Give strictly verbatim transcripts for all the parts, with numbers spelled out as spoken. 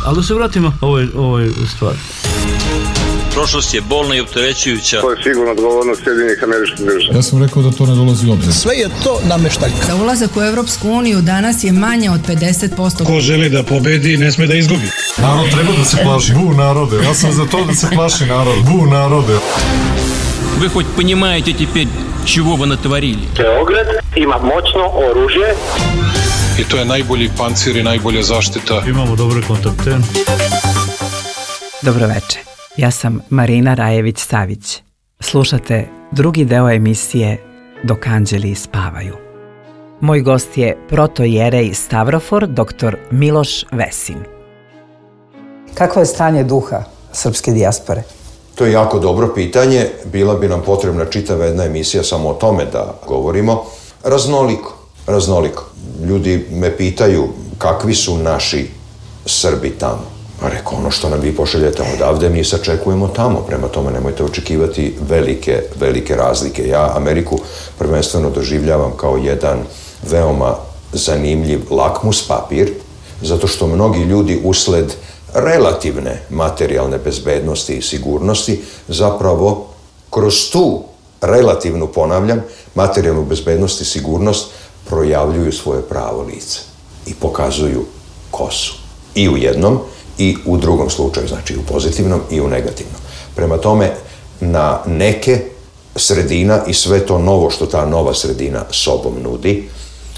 Ali da se vratimo ovoj, ovoj stvari. Prošlost je bolna i opterećujuća. To je sigurno odgovornost Sjedinjenih Američkih Država. Ja sam rekao da to ne dolazi u obzir. Sve je to nameštaljka. Za ulazak u Evropsku uniju danas je manje od pedeset posto. Ko želi da pobedi, ne sme da izgubi. Narod treba da se plaši. Bu narode. Ja sam za to da se plaši narod. Bu narode. Вы хоть понимаете теперь, чего вы натворили? Beograd ima moćno oružje. I to je najbolji pancir i najbolja zaštita. Imamo dobre kontakte. Dobroveče, ja sam Marina Rajević-Savić. Slušate drugi deo emisije Dok anđeli spavaju. Moj gost je protojerej Stavrofor, doktor Miloš Vesin. Kakvo je stanje duha srpske dijaspore? To je jako dobro pitanje. Bila bi nam potrebna čitava jedna emisija samo o tome da govorimo. Raznoliko, raznoliko. Ljudi me pitaju kakvi su naši Srbi tamo. Pa reko, ono što nam vi pošaljete odavde, mi sačekujemo tamo. Prema tome nemojte očekivati velike, velike razlike. Ja Ameriku prvenstveno doživljavam kao jedan veoma zanimljiv lakmus papir, zato što mnogi ljudi usled relativne materijalne bezbednosti i sigurnosti zapravo kroz tu relativnu, ponavljam, materijalnu bezbednost i sigurnost projavljuju svoje pravo lice i pokazuju ko su. I u jednom i u drugom slučaju, znači i u pozitivnom i u negativnom. Prema tome, na neke sredina i sve to novo što ta nova sredina sobom nudi,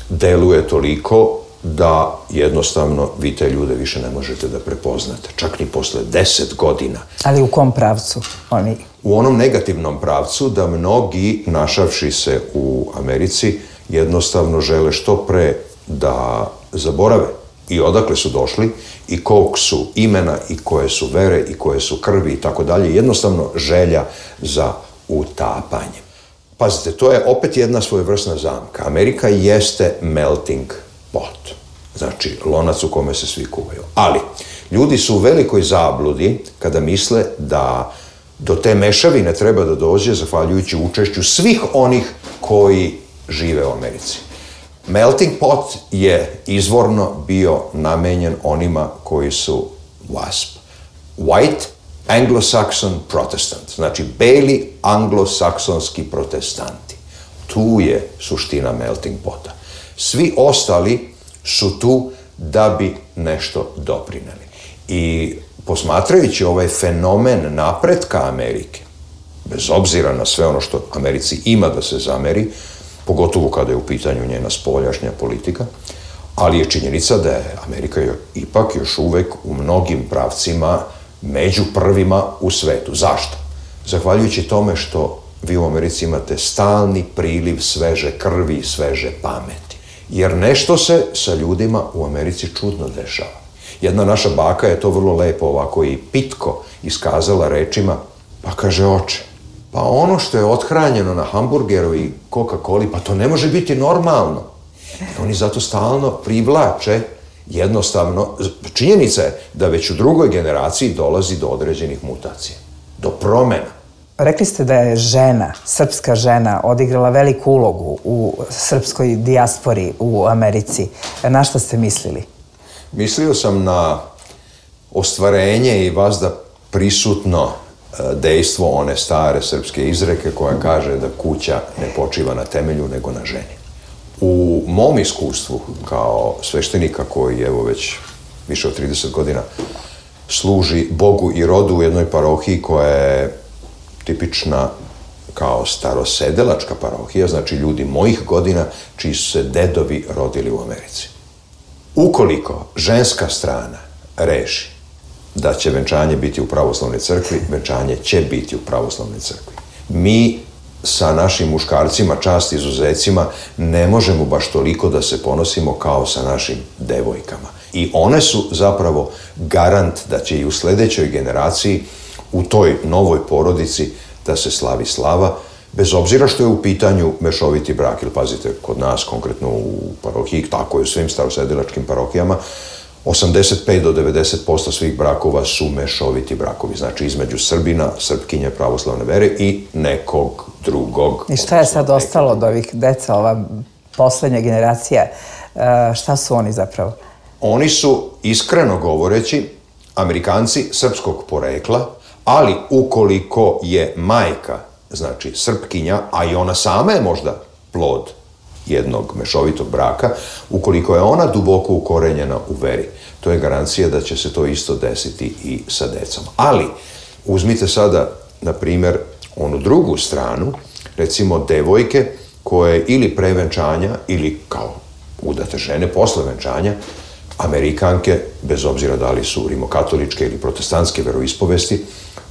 deluje toliko da jednostavno vi te ljude više ne možete da prepoznate, čak ni posle deset godina. Ali u kom pravcu oni? U onom negativnom pravcu da mnogi, našavši se u Americi, jednostavno žele što pre da zaborave i odakle su došli i kog su imena i koje su vere i koje su krvi i tako dalje. Jednostavno želja za utapanjem. Pazite, to je opet jedna svojevrsna zamka. Amerika jeste melting pot. Znači, lonac u kome se svi kuvaju. Ali, ljudi su u velikoj zabludi kada misle da do te mešavine treba da dođe zahvaljujući učešću svih onih koji žive u Americi. Melting pot je izvorno bio namenjen onima koji su W A S P. White Anglo-Saxon Protestant. Znači, beli anglosaksonski protestanti. Tu je suština melting pota. Svi ostali su tu da bi nešto doprineli. I posmatrajući ovaj fenomen napretka Amerike, bez obzira na sve ono što Americi ima da se zameri, pogotovo kada je u pitanju njena spoljašnja politika, ali je činjenica da je Amerika ipak još uvek u mnogim pravcima među prvima u svetu. Zašto? Zahvaljujući tome što vi u Americi imate stalni priliv sveže krvi i sveže pameti. Jer nešto se sa ljudima u Americi čudno dešava. Jedna naša baka je to vrlo lepo ovako i pitko iskazala rečima, pa kaže, oče, pa ono što je othranjeno na hamburgeru i Coca-Coli, pa to ne može biti normalno. I oni zato stalno privlače, jednostavno, činjenica je da već u drugoj generaciji dolazi do određenih mutacija, do promena. Rekli ste da je žena, srpska žena, odigrala veliku ulogu u srpskoj dijaspori u Americi. Na šta ste mislili? Mislio sam na ostvarenje i vazda prisutno dejstvo one stare srpske izreke koja kaže da kuća ne počiva na temelju nego na ženi. U mom iskustvu kao sveštenika koji evo već više od trideset godina služi Bogu i rodu u jednoj parohiji koja je tipična kao starosedelačka parohija, znači ljudi mojih godina čiji su se dedovi rodili u Americi. Ukoliko ženska strana reši da će venčanje biti u pravoslavnoj crkvi, venčanje će biti u pravoslavnoj crkvi. Mi sa našim muškarcima, čast izuzecima, ne možemo baš toliko da se ponosimo kao sa našim devojkama. I one su zapravo garant da će i u sledećoj generaciji, u toj novoj porodici, da se slavi slava, bez obzira što je u pitanju mešoviti brak. Ili pazite, kod nas, konkretno u parohiji, tako je u svim starosedelačkim parohijama, osamdeset pet do devedeset posto svih brakova su mešoviti brakovi, znači između Srbina, Srpkinje pravoslavne vere i nekog drugog. I šta je sad ostalo od ovih deca, ova poslednja generacija, šta su oni zapravo? Oni su, iskreno govoreći, Amerikanci srpskog porekla, ali ukoliko je majka, znači Srpkinja, a i ona sama je možda plod jednog mešovitog braka, ukoliko je ona duboko ukorenjena u veri, to je garancija da će se to isto desiti i sa decom. Ali, uzmite sada, na primjer, onu drugu stranu, recimo devojke koje ili pre venčanja ili kao udate žene posle venčanja, Amerikanke, bez obzira da li su rimokatoličke ili protestantske veroispovesti,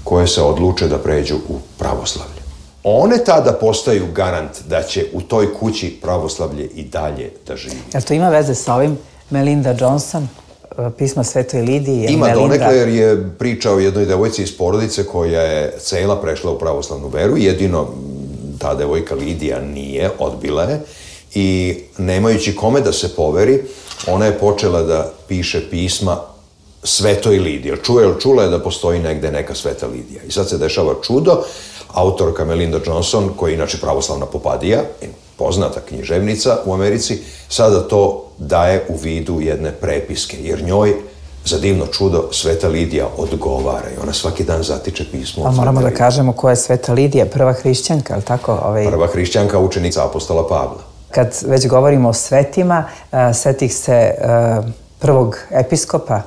koje se odluče da pređu u pravoslavlje. One tada postaju garant da će u toj kući pravoslavlje i dalje da živi. Jel to ima veze sa ovim Melinda Johnson, pisma Svetoj Lidiji? Ima donekle, jer je priča o jednoj devojci iz porodice koja je cela prešla u pravoslavnu veru, jedino ta devojka Lidija nije, odbila je, i nemajući kome da se poveri, ona je počela da piše pisma Svetoj Lidiji. Čuje, čula je da postoji negde neka Sveta Lidija. I sad se dešava čudo, autorka Melinda Johnson, koja je inače pravoslavna popadija, poznata književnica u Americi, sada to daje u vidu jedne prepiske, jer njoj, za divno čudo, Sveta Lidija odgovara i ona svaki dan zatiče pismo. A moramo da kažemo ko je Sveta Lidija, prva hrišćanka, ali tako? Ovaj... Prva hrišćanka, učenica apostola Pavla. Kad već govorimo o svetima, setih se prvog episkopa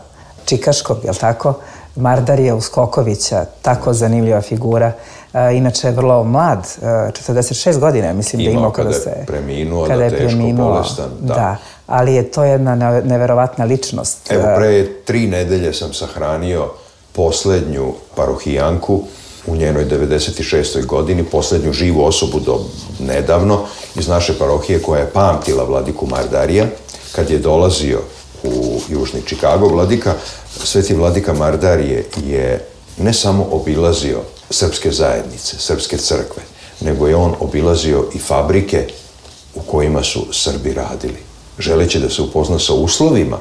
Čikaškog, jel tako? Mardarija Uskokovića, tako zanimljiva figura. Inače je vrlo mlad, četrdeset šest godina, mislim da imao kada se... Preminuo, da teško bolestan. Da, ali je to jedna neverovatna ličnost. Evo, pre tri nedelje sam sahranio poslednju parohijanku u njenoj devedeset šestoj godini, poslednju živu osobu do nedavno iz naše parohije koja je pamtila vladiku Mardarija. Kad je dolazio u Južni Čikago, vladika, sveti vladika Mardarije je ne samo obilazio srpske zajednice, srpske crkve, nego je on obilazio i fabrike u kojima su Srbi radili, želeći da se upozna sa uslovima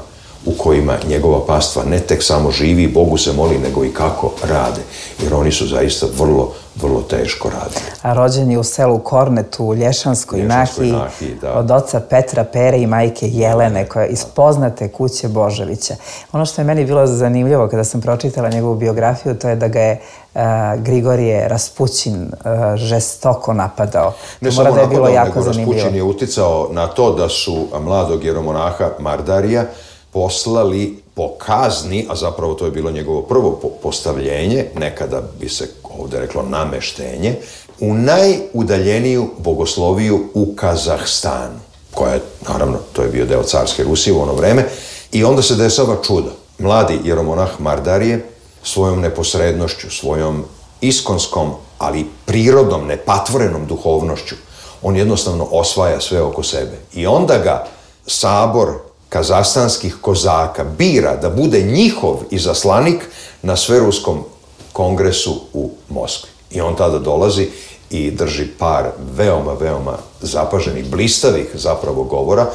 u kojima njegova pastva ne tek samo živi i Bogu se moli, nego i kako rade. Jer oni su zaista vrlo, vrlo teško radili. A rođen je u selu Kornetu, u Lješanskoj Nahiji, od oca Petra Pere i majke Jelene, koja je iz poznate kuće Božovića. Ono što je meni bilo zanimljivo kada sam pročitala njegovu biografiju, to je da ga je Grigorije Raspućin žestoko napadao. Ne samo napadao, nego Raspućin je uticao na to da su mladog jeromonaha Mardarija poslali po kazni, a zapravo to je bilo njegovo prvo postavljenje, nekada bi se ovde reklo nameštenje, u najudaljeniju bogosloviju u Kazahstanu, koja je, naravno, to je bio deo carske Rusije u ono vreme, i onda se dešava čudo. Mladi jeromonah Mardarije svojom neposrednošću, svojom iskonskom, ali prirodnom, nepatvorenom duhovnošću, on jednostavno osvaja sve oko sebe. I onda ga sabor kazahstanskih kozaka bira da bude njihov izaslanik na Sveruskom kongresu u Moskvi. I on tada dolazi i drži par veoma, veoma zapaženih, blistavih zapravo govora.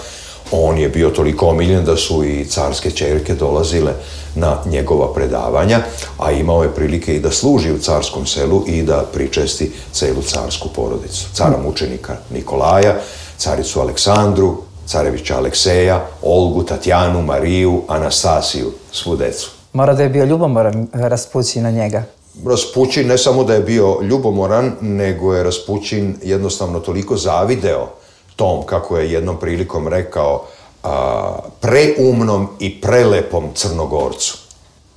On je bio toliko omiljen da su i carske ćerke dolazile na njegova predavanja, a imao je prilike i da služi u carskom selu i da pričesti celu carsku porodicu. Cara mučenika Nikolaja, caricu Aleksandru, carevića Alekseja, Olgu, Tatjanu, Mariju, Anastasiju, svu decu. Mora da je bio ljubomoran Raspućin na njega. Raspućin ne samo da je bio ljubomoran, nego je Raspućin jednostavno toliko zavideo tom, kako je jednom prilikom rekao, a, preumnom i prelepom Crnogorcu.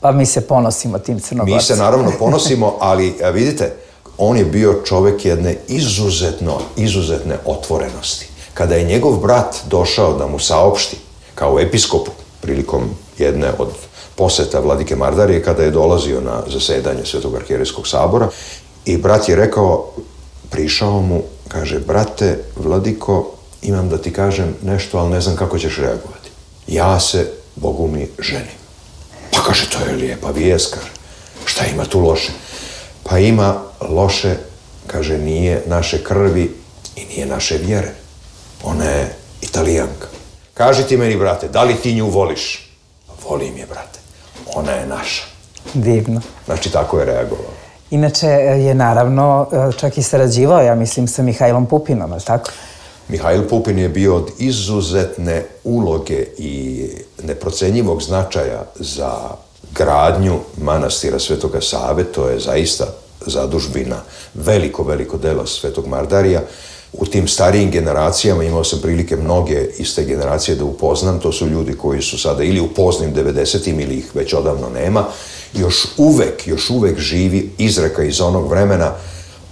Pa mi se ponosimo tim Crnogorcem. Mi se naravno ponosimo, ali a, vidite, on je bio čovek jedne izuzetno, izuzetne otvorenosti. Kada je njegov brat došao da mu saopšti, kao episkopu, prilikom jedne od poseta vladike Mardarije, kada je dolazio na zasedanje Svetog arhijerejskog sabora, i brat je rekao, prišao mu, kaže, brate, vladiko, imam da ti kažem nešto, ali ne znam kako ćeš reagovati. Ja se, Bogu mi, ženim. Pa kaže, to je lijepa vijest, kaže. Šta ima tu loše? Pa ima loše, kaže, nije naše krvi i nije naše vjere. Ona je Italijanka. Kaži ti meni, brate, da li ti nju voliš? Volim je, brate. Ona je naša. Divno. Znači, tako je reagovao. Inače je naravno čak i sarađivao, ja mislim, sa Mihajlom Pupinom, ali tako? Mihajl Pupin je bio od izuzetne uloge i neprocenjivog značaja za gradnju manastira Svetoga Save, to je zaista zadužbina, veliko, veliko delo Svetog Mardarija. U tim starijim generacijama imao sam prilike mnoge iz te generacije da upoznam, to su ljudi koji su sada ili u poznim devedesetim ili ih već odavno nema, još uvek, još uvek živi izreka iz onog vremena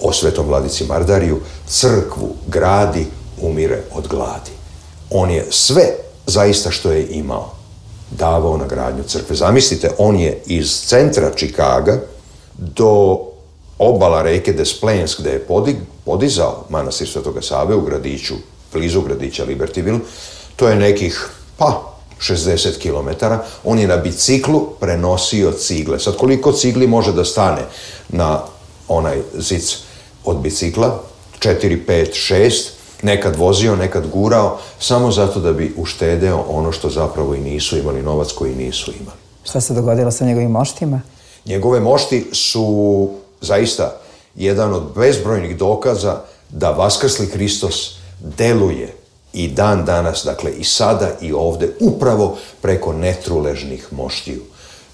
o Svetom Vladici Mardariju: crkvu gradi, umire od gladi. On je sve zaista što je imao davao na gradnju crkve. Zamislite, on je iz centra Čikaga do obala reke Des Plaines, gde je podig, podizao manastir Svetoga Save u gradiću, blizu gradića Libertyville, to je nekih, pa, šezdeset kilometara, on je na biciklu prenosio cigle. Sad, koliko cigli može da stane na onaj zic od bicikla? četiri, pet, šest, nekad vozio, nekad gurao, samo zato da bi uštedeo ono što zapravo i nisu imali, novac koji nisu imali. Šta se dogodilo sa njegovim moštima? Njegove mošti su zaista jedan od bezbrojnih dokaza da vaskrsli Hristos deluje i dan danas, dakle i sada i ovde, upravo preko netruležnih moštiju.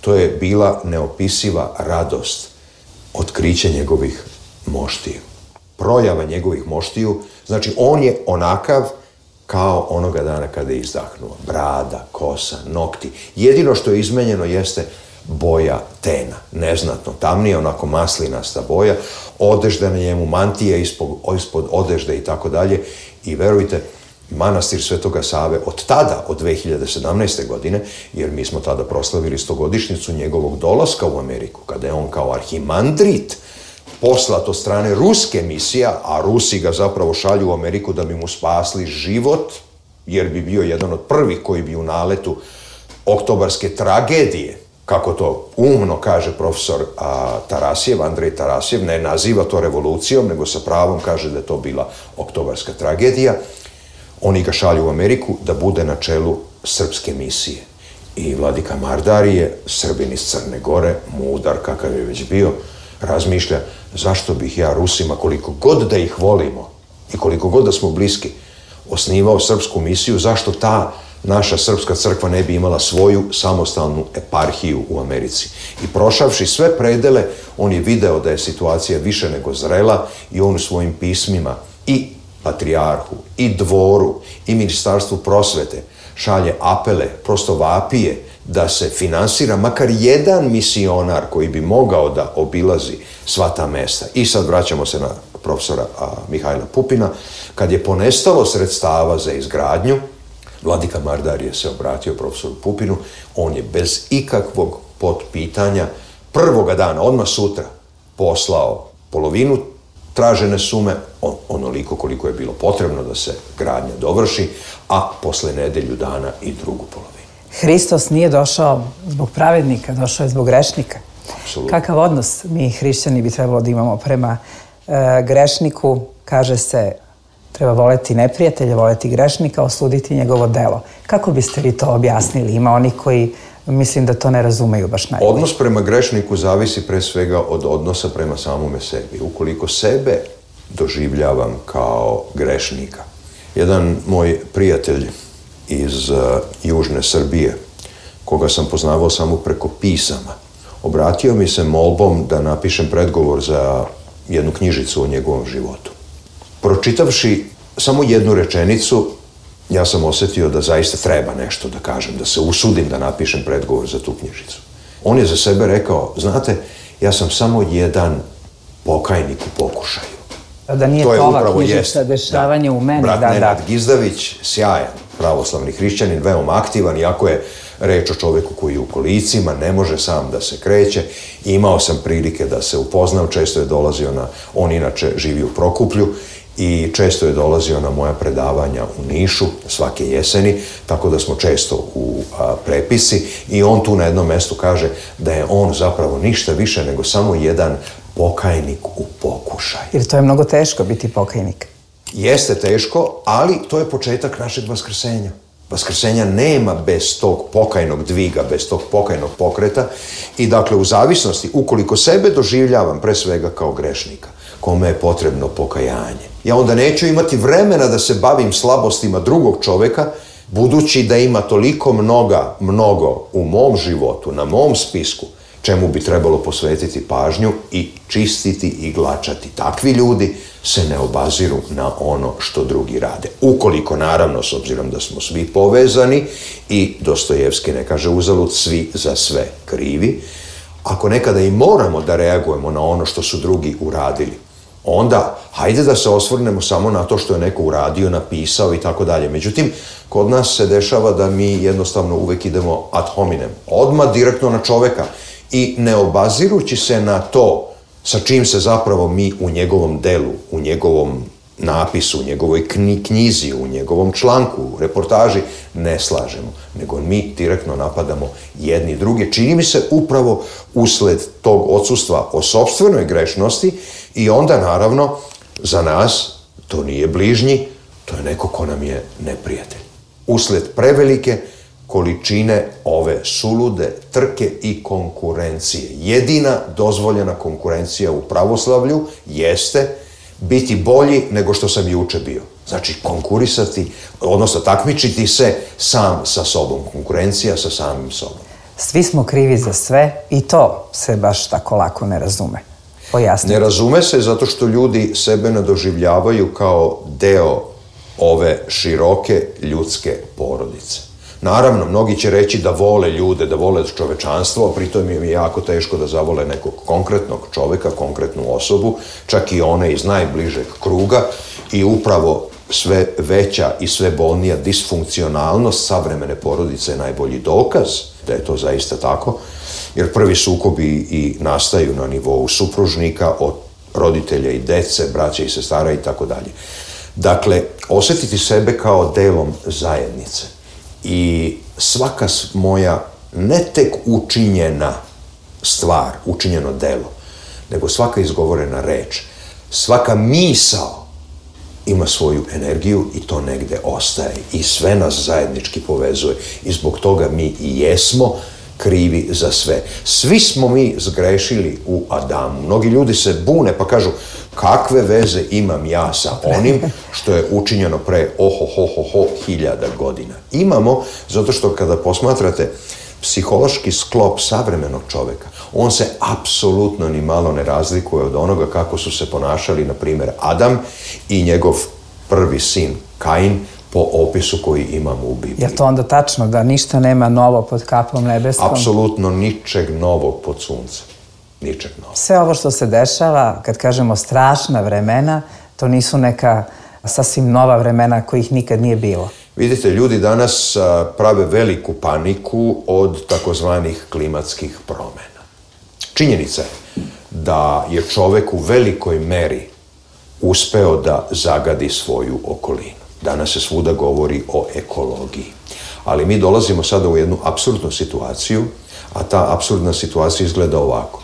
To je bila neopisiva radost, otkriće njegovih moštiju. Projava njegovih moštiju, znači on je onakav kao onoga dana kada je izdahnuo. Brada, kosa, nokti. Jedino što je izmenjeno jeste boja tena, neznatno tamnija, onako maslinasta boja, odežda na njemu, mantija ispod, ispod odežde i tako dalje. I verujte, manastir Svetoga Save od tada, od dve hiljade sedamnaeste. godine, jer mi smo tada proslavili stogodišnjicu njegovog dolaska u Ameriku, kada je on kao arhimandrit poslat od strane ruske misije, a Rusi ga zapravo šalju u Ameriku da bi mu spasli život, jer bi bio jedan od prvih koji bi u naletu oktobarske tragedije, kako to umno kaže profesor a, Tarasjev, Andrej Tarasjev, ne naziva to revolucijom, nego sa pravom kaže da je to bila oktobarska tragedija. Oni ga šalju u Ameriku da bude na čelu srpske misije. I vladika Mardarije, Srbin iz Crne Gore, mudar kakav je već bio, razmišlja zašto bih ja Rusima, koliko god da ih volimo i koliko god da smo bliski, osnivao srpsku misiju, zašto ta naša srpska crkva ne bi imala svoju samostalnu eparhiju u Americi. I prošavši sve predele, on je video da je situacija više nego zrela i on u svojim pismima i patrijarhu, i dvoru, i ministarstvu prosvete šalje apele, prosto vapije, da se finansira makar jedan misionar koji bi mogao da obilazi sva ta mesta. I sad vraćamo se na profesora a, Mihajla Pupina. Kad je ponestalo sredstava za izgradnju, vladika Mardarije se obratio profesoru Pupinu, on je bez ikakvog potpitanja prvoga dana, odmah sutra, poslao polovinu tražene sume, on, onoliko koliko je bilo potrebno da se gradnja dovrši, a posle nedelju dana i drugu polovinu. Hristos nije došao zbog pravednika, došao je zbog grešnika. Apsolutno. Kakav odnos mi hrišćani bi trebalo da imamo prema e, grešniku? Kaže se, treba voleti neprijatelja, voleti grešnika, osuditi njegovo delo. Kako biste vi to objasnili? Ima oni koji, mislim da to ne razumeju baš najbolje. Odnos prema grešniku zavisi pre svega od odnosa prema samome sebi. Ukoliko sebe doživljavam kao grešnika. Jedan moj prijatelj iz uh, južne Srbije, koga sam poznavao samo preko pisama, obratio mi se molbom da napišem predgovor za jednu knjižicu o njegovom životu. Pročitavši samo jednu rečenicu, ja sam osjetio da zaista treba nešto da kažem, da se usudim da napišem predgovor za tu knjižicu. On je za sebe rekao, znate, ja sam samo jedan pokajnik u pokušaju. Da nije to ova knjižica dešavanje u meni. Brat da, Nenad da. Gizdavić, sjajan pravoslavni hrišćanin, veoma aktivan, iako je reč o čoveku koji je u kolicima, ne može sam da se kreće. Imao sam prilike da se upoznam, često je dolazio na, on inače živi u Prokuplju, i često je dolazio na moja predavanja u Nišu svake jeseni, tako da smo često u a, prepisi, i on tu na jednom mestu kaže da je on zapravo ništa više nego samo jedan pokajnik u pokušaju. Jer to je mnogo teško biti pokajnik. Jeste teško, ali to je početak našeg vaskrsenja. Vaskrsenja nema bez tog pokajnog dviga, bez tog pokajnog pokreta, i dakle u zavisnosti, ukoliko sebe doživljavam pre svega kao grešnika, kome je potrebno pokajanje, ja onda neću imati vremena da se bavim slabostima drugog čoveka, budući da ima toliko mnoga, mnogo u mom životu, na mom spisku, čemu bi trebalo posvetiti pažnju i čistiti i glačati. Takvi ljudi se ne obaziru na ono što drugi rade. Ukoliko, naravno, s obzirom da smo svi povezani i Dostojevski ne kaže uzalud svi za sve krivi, ako nekada i moramo da reagujemo na ono što su drugi uradili, onda hajde da se osvrnemo samo na to što je neko uradio, napisao i tako dalje. Međutim, kod nas se dešava da mi jednostavno uvek idemo ad hominem, odmah direktno na čoveka i ne obazirući se na to sa čim se zapravo mi u njegovom delu, u njegovom napisu, u njegovoj knjizi, u njegovom članku, u reportaži ne slažemo, nego mi direktno napadamo jedni druge. Čini mi se upravo usled tog odsustva o sopstvenoj grešnosti i onda naravno za nas to nije bližnji, to je neko ko nam je neprijatelj. Usled prevelike količine ove sulude trke i konkurencije. Jedina dozvoljena konkurencija u pravoslavlju jeste biti bolji nego što sam juče bio. Znači, konkurisati, odnosno takmičiti se sam sa sobom. Konkurencija sa samim sobom. Svi smo krivi za sve i to se baš tako lako ne razume. Pojasnite. Ne razume se zato što ljudi sebe ne doživljavaju kao deo ove široke ljudske porodice. Naravno, mnogi će reći da vole ljude, da vole čovečanstvo, a pritom im je jako teško da zavole nekog konkretnog čoveka, konkretnu osobu, čak i one iz najbližeg kruga i upravo sve veća i sve bolnija disfunkcionalnost savremene porodice je najbolji dokaz da je to zaista tako, jer prvi sukobi i nastaju na nivou supružnika, od roditelja i dece, braća i sestara i tako dalje. Dakle, osjetiti sebe kao delom zajednice i svaka moja ne tek učinjena stvar, učinjeno delo, nego svaka izgovorena reč, svaka misao ima svoju energiju i to negde ostaje i sve nas zajednički povezuje i zbog toga mi i jesmo krivi za sve. Svi smo mi zgrešili u Adamu. Mnogi ljudi se bune pa kažu kakve veze imam ja sa onim što je učinjeno pre oho, ho, ho, ho, hiljada godina. Imamo, zato što kada posmatrate psihološki sklop savremenog čoveka, on se apsolutno ni malo ne razlikuje od onoga kako su se ponašali, na primjer, Adam i njegov prvi sin, Kain, po opisu koji imamo u Bibliji. Je to onda tačno da ništa nema novo pod kapom nebeskom? Apsolutno ničeg novog pod suncem. Ničeg novog. Sve ovo što se dešava, kad kažemo strašna vremena, to nisu neka sasvim nova vremena kojih nikad nije bilo. Vidite, ljudi danas prave veliku paniku od takozvanih klimatskih promena. Činjenica je da je čovek u velikoj meri uspeo da zagadi svoju okolinu. Danas se svuda govori o ekologiji. Ali mi dolazimo sada u jednu apsurdnu situaciju, a ta apsurdna situacija izgleda ovako.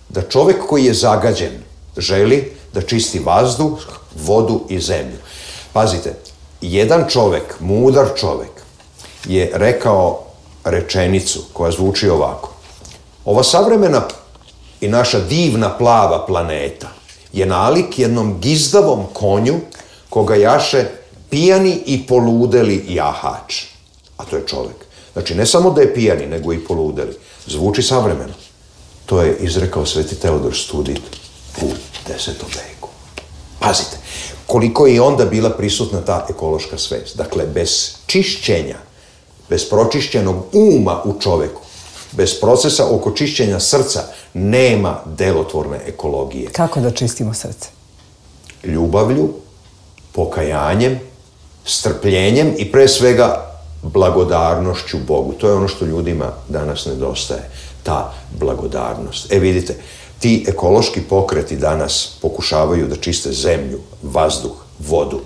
Da čovek koji je zagađen želi da čisti vazduh, vodu i zemlju. Pazite, jedan čovek, mudar čovek, je rekao rečenicu koja zvuči ovako. Ova savremena i naša divna plava planeta je nalik jednom gizdavom konju koga jaše pijani i poludeli jahač. A to je čovek. Znači, ne samo da je pijani, nego i poludeli. Zvuči savremeno. To je izrekao Sveti Teodor Studit u desetom veku. Pazite, koliko je onda bila prisutna ta ekološka svest. Dakle, bez čišćenja, bez pročišćenog uma u čoveku, bez procesa oko čišćenja srca, nema delotvorne ekologije. Kako da čistimo srce? Ljubavlju, pokajanjem, strpljenjem i pre svega blagodarnošću Bogu. To je ono što ljudima danas nedostaje, ta blagodarnost. E vidite, ti ekološki pokreti danas pokušavaju da čiste zemlju, vazduh, vodu,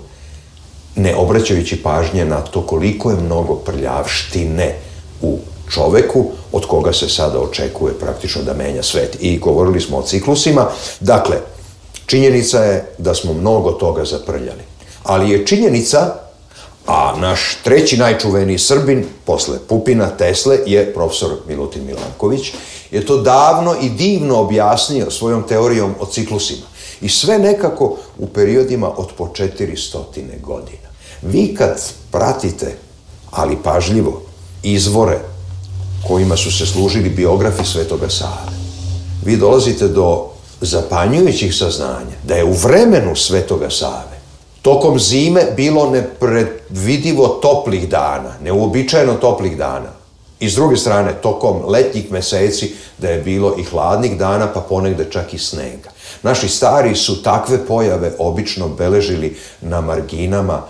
ne obraćajući pažnje na to koliko je mnogo prljavštine u čoveku, od koga se sada očekuje praktično da menja svet. I govorili smo o ciklusima. Dakle, činjenica je da smo mnogo toga zaprljali. Ali je činjenica, a naš treći najčuveniji Srbin, posle Pupina, Tesle, je profesor Milutin Milanković, je to davno i divno objasnio svojom teorijom o ciklusima. I sve nekako u periodima od po četiristo godina. Vi kad pratite, ali pažljivo, izvore kojima su se služili biografi Svetoga Save, vi dolazite do zapanjujućih saznanja da je u vremenu Svetoga Save tokom zime bilo nepredvidivo toplih dana, neuobičajeno toplih dana. I s druge strane, tokom letnjih meseci da je bilo i hladnih dana, pa ponegde čak i snega. Naši stari su takve pojave obično beležili na marginama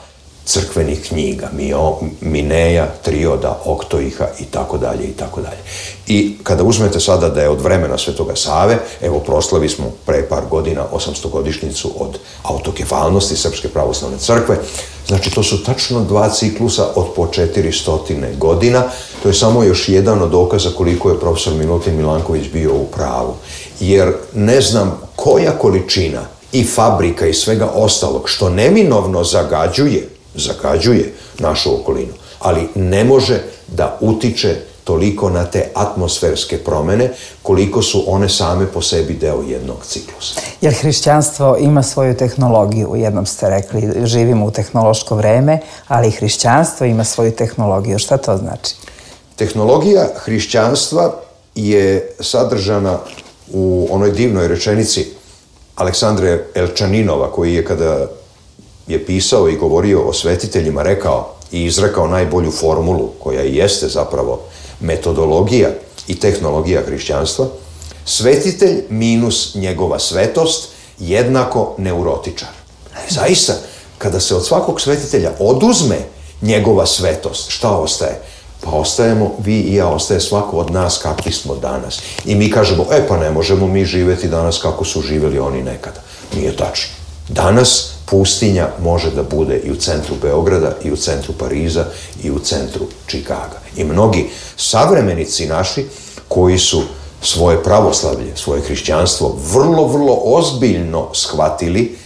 crkvenih knjiga, Mio, Mineja, Trioda, Oktoiha i tako dalje i tako dalje. I kada uzmete sada da je od vremena Svetoga Save, evo proslavi smo pre par godina osamstogodišnjicu od autokefalnosti Srpske pravoslavne crkve, znači to su tačno dva ciklusa od po četiristo godina, to je samo još jedan od dokaza koliko je profesor Milutin Milanković bio u pravu. Jer ne znam koja količina i fabrika i svega ostalog što neminovno zagađuje zagađuje našu okolinu, ali ne može da utiče toliko na te atmosferske promene koliko su one same po sebi deo jednog ciklusa. Jer hrišćanstvo ima svoju tehnologiju, jednom ste rekli, živimo u tehnološko vreme, ali hrišćanstvo ima svoju tehnologiju. Šta to znači? Tehnologija hrišćanstva je sadržana u onoj divnoj rečenici Aleksandre Elčaninova, koji je kada je pisao i govorio o svetiteljima rekao i izrekao najbolju formulu, koja i jeste zapravo metodologija i tehnologija hrišćanstva: svetitelj minus njegova svetost jednako neurotičar. I zaista, kada se od svakog svetitelja oduzme njegova svetost, šta ostaje? Pa ostajemo, vi i ja, ostaje svako od nas kakvi smo danas. I mi kažemo, e pa ne možemo mi živjeti danas kako su živjeli oni nekada. Nije tačno. Danas pustinja može da bude i u centru Beograda, i u centru Pariza, i u centru Čikaga. I mnogi savremenici naši koji su svoje pravoslavlje, svoje hrišćanstvo vrlo, vrlo ozbiljno shvatili,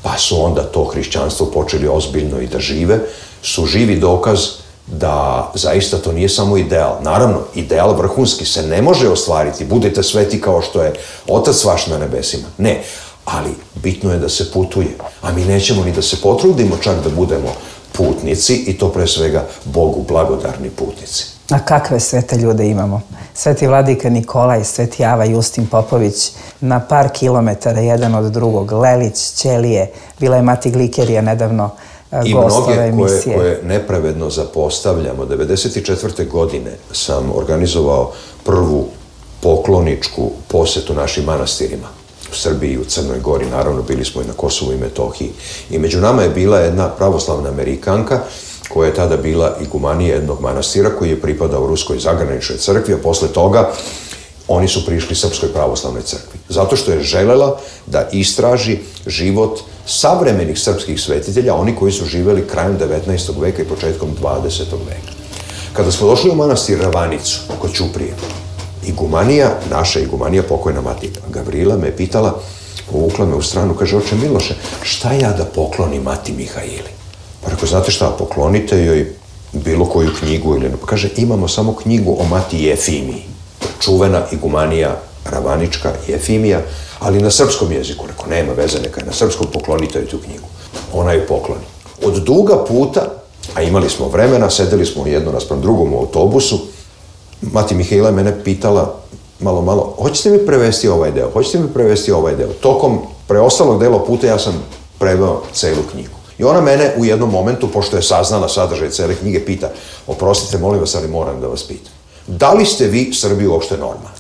pa su onda to hrišćanstvo počeli ozbiljno i da žive, su živi dokaz da zaista to nije samo ideal. Naravno, ideal vrhunski se ne može ostvariti. Budite sveti kao što je Otac vaš na nebesima. Ne, ali bitno je da se putuje. A mi nećemo ni da se potrudimo čak da budemo putnici, i to pre svega Bogu blagodarni putnici. A kakve svete ljude imamo? Sveti vladika Nikolaj, sveti Ava Justin Popović, na par kilometara jedan od drugog, Lelić, Ćelije, bila je mati Glikerija nedavno gostove emisije. I mnoge koje, koje nepravedno zapostavljamo. devedeset četvrte godine sam organizovao prvu pokloničku posetu našim manastirima. U Srbiji i u Crnoj Gori, naravno bili smo i na Kosovu i Metohiji. I među nama je bila jedna pravoslavna Amerikanka koja je tada bila igumanija jednog manastira koji je pripadao Ruskoj zagraničnoj crkvi, a posle toga oni su prišli Srpskoj pravoslavnoj crkvi. Zato što je želela da istraži život savremenih srpskih svetitelja, oni koji su živeli krajem devetnaestog veka i početkom dvadesetog veka. Kada smo došli u manastir Ravanicu, kod Ćuprije, igumanija, naša igumanija, pokojna mati Gavrila, me pitala, povukla me u stranu, kaže, oče Miloše, šta ja da poklonim mati Mihaili? Pa rekao, znate šta, poklonite joj bilo koju knjigu ili ne. Pa kaže, imamo samo knjigu o mati Jefimiji, čuvena igumanija Ravanička Jefimija, ali na srpskom jeziku. Rekao, nema veze, neka je na srpskom, poklonite joj tu knjigu. Ona ju pokloni. Od duga puta, a imali smo vremena, sedeli smo jedno naspram drugom u autobusu, mati Mihaila je mene pitala malo, malo, hoćete mi prevesti ovaj deo, hoćete mi prevesti ovaj deo. Tokom preostalog dela puta ja sam preveo celu knjigu. I ona mene u jednom momentu, pošto je saznala sadržaj cele knjige, pita, oprostite, molim vas, ali moram da vas pitam. Da li ste vi, Srbi, uopšte normalni?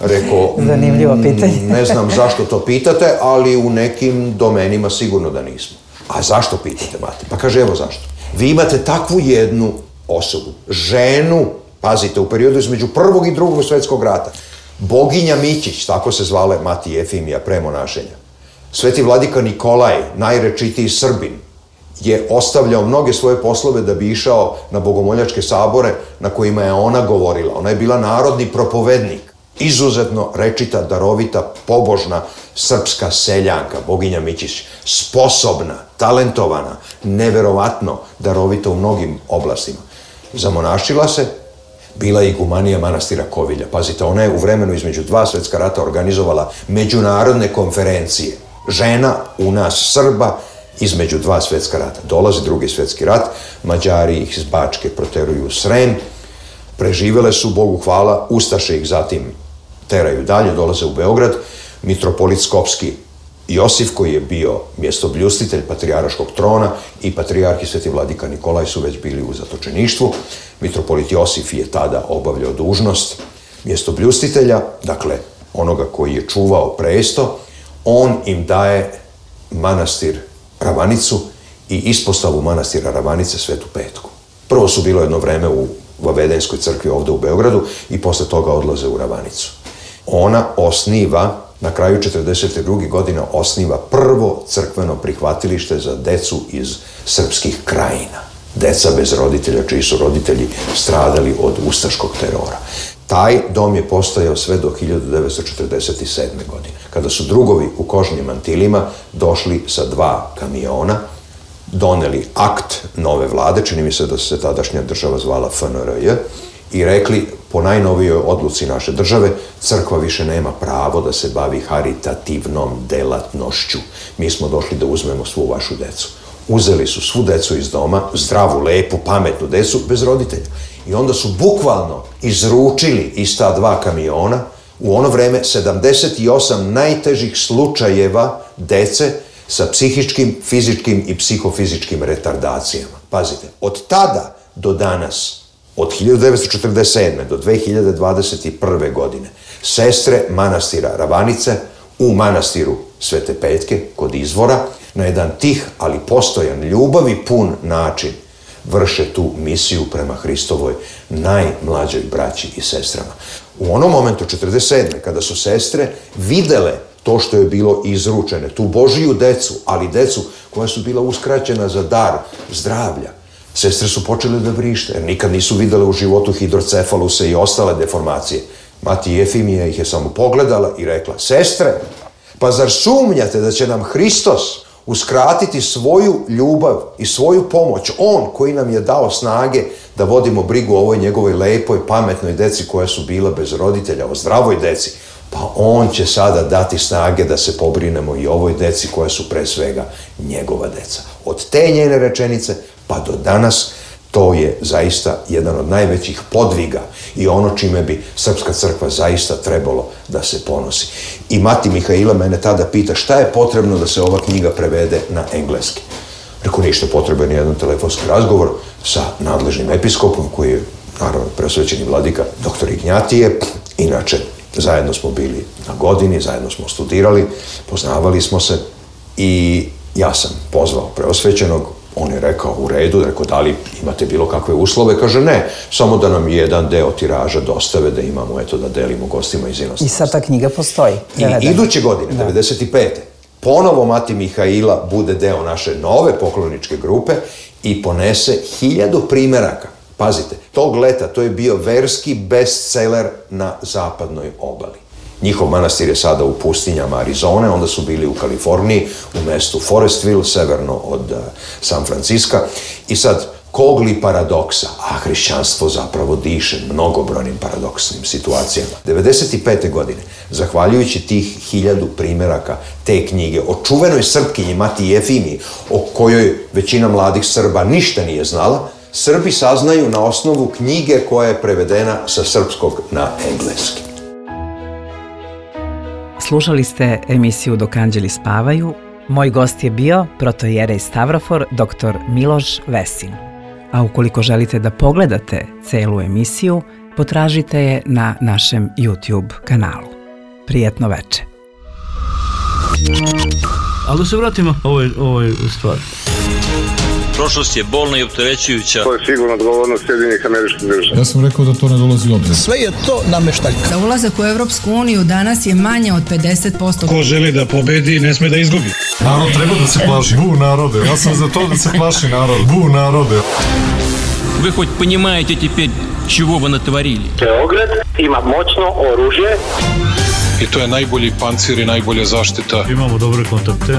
Rekao, zanimljivo pitanje. Ne znam zašto to pitate, ali u nekim domenima sigurno da nismo. A zašto pitate, mati? Pa kaže, evo zašto. Vi imate takvu jednu osobu, ženu, pazite, u periodu između prvog i drugog svetskog rata, boginja Mićić, tako se zvala mati Jefimija, pre monašenja. Sveti vladika Nikolaj, najrečitiji Srbin, je ostavljao mnoge svoje poslove da bi išao na bogomoljačke sabore na kojima je ona govorila. Ona je bila narodni propovednik, izuzetno rečita, darovita, pobožna srpska seljanka, boginja Mićić, sposobna, talentovana, neverovatno darovita u mnogim oblastima. Zamonašila se, bila je igumanija manastira Kovilja. Pazite, ona je u vremenu između dva svetska rata organizovala međunarodne konferencije. Žena u nas Srba između dva svetska rata. Dolazi drugi svetski rat, Mađari ih iz Bačke proteruju u Srem, preživele su, Bogu hvala, Ustaše ih zatim teraju dalje, dolaze u Beograd, mitropolit Skopski Josif, koji je bio mjestobljustitelj patrijaraškog trona, i patrijarh i sveti vladika Nikolaj su već bili u zatočeništvu. Mitropolit Josif je tada obavljao dužnost mjestobljustitelja, dakle onoga koji je čuvao presto. On im daje manastir Ravanicu i ispostavu manastira Ravanice Svetu Petku. Prvo su bilo jedno vreme u Vavedenskoj crkvi ovdje u Beogradu i posle toga odlaze u Ravanicu. Ona osniva, na kraju četrdeset druge godine osniva prvo crkveno prihvatilište za decu iz srpskih krajina. Deca bez roditelja, čiji su roditelji stradali od ustaškog terora. Taj dom je postojao sve do hiljadu devetsto četrdeset sedme. godine, kada su drugovi u kožnim mantilima došli sa dva kamiona, doneli akt nove vlade, čini mi se da se tadašnja država zvala F N R J, i rekli, po najnovijoj odluci naše države, crkva više nema pravo da se bavi haritativnom delatnošću. Mi smo došli da uzmemo svu vašu decu. Uzeli su svu decu iz doma, zdravu, lepu, pametnu decu, bez roditelja. I onda su bukvalno izručili iz ta dva kamiona u ono vreme sedamdeset osam najtežih slučajeva dece sa psihičkim, fizičkim i psihofizičkim retardacijama. Pazite, od tada do danas, od hiljadu devetsto četrdeset sedme. do dve hiljade dvadeset prve. godine, sestre manastira Ravanice u manastiru Svete Petke kod izvora na jedan tih, ali postojan, ljubavi pun način vrše tu misiju prema Hristovoj najmlađoj braći i sestrama. U onom momentu, četrdeset sedme. kada su sestre videle to što je bilo izručene, tu Božiju decu, ali decu koja su bila uskraćena za dar zdravlja, sestre su počele da vrište, jer nikad nisu videle u životu hidrocefaluse i ostale deformacije. Mati Jefimija ih je samo pogledala i rekla, sestre, pa zar sumnjate da će nam Hristos uskratiti svoju ljubav i svoju pomoć, on koji nam je dao snage da vodimo brigu o ovoj njegovoj lepoj, pametnoj deci koja su bila bez roditelja, o zdravoj deci, pa on će sada dati snage da se pobrinemo i ovoj deci koja su pre svega njegova deca. Od te njene rečenice pa do danas to je zaista jedan od najvećih podviga i ono čime bi Srpska crkva zaista trebalo da se ponosi. I mati Mihaila mene tada pita šta je potrebno da se ova knjiga prevede na engleski. Rekao, ništa, potreban je jedan telefonski razgovor sa nadležnim episkopom koji je, naravno, preosvećeni vladika doktor Ignjatije. Inače, zajedno smo bili na godini, zajedno smo studirali, poznavali smo se i ja sam pozvao preosvećenog. On je rekao, u redu, rekao, da li imate bilo kakve uslove? Kaže, ne, samo da nam jedan deo tiraža dostave, da imamo, eto, da delimo gostima iz inostranstva. I sad ta knjiga postoji. I iduće godine, devedeset pete. ponovo mati Mihaila bude deo naše nove pokloničke grupe i ponese hiljadu primeraka. Pazite, tog leta to je bio verski bestseller na zapadnoj obali. Njihov manastir je sada u pustinjama Arizone, onda su bili u Kaliforniji, u mestu Forestville, severno od uh, San Franciska. I sad, kog li paradoksa, a hrišćanstvo zapravo diše mnogobrojnim paradoksnim situacijama. devedeset pete. godine, zahvaljujući tih hiljadu primeraka te knjige o čuvenoj Srpkinji Mati Jefimiji, o kojoj većina mladih Srba ništa nije znala, Srbi saznaju na osnovu knjige koja je prevedena sa srpskog na engleski. Slušali ste emisiju Dok anđeli spavaju. Moj gost je bio protojerej Stavrofor, doktor Miloš Vesin. A ukoliko želite da pogledate celu emisiju, potražite je na našem YouTube kanalu. Prijetno veče. Ali da se vratimo ovoj, ovoj stvari. Prošlost je bolna i opterećujuća. To je sigurno odgovornost Sjedinjenih Američkih Država. Ja sam rekao da to ne dolazi u obzir. Sve je to nameštaljka. Da ulazak u Evropsku uniju danas je manje od pedeset posto. Ko želi da pobedi, ne sme da izgubi. Narod treba da se plaši. Bu narode. Ja sam za to da se plaši narod. Bu narode. Вы хоть понимаете теперь, чего вы натворили? Beograd ima moćno oružje. I to je najbolji pancir i najbolja zaštita. Imamo dobre kontakte.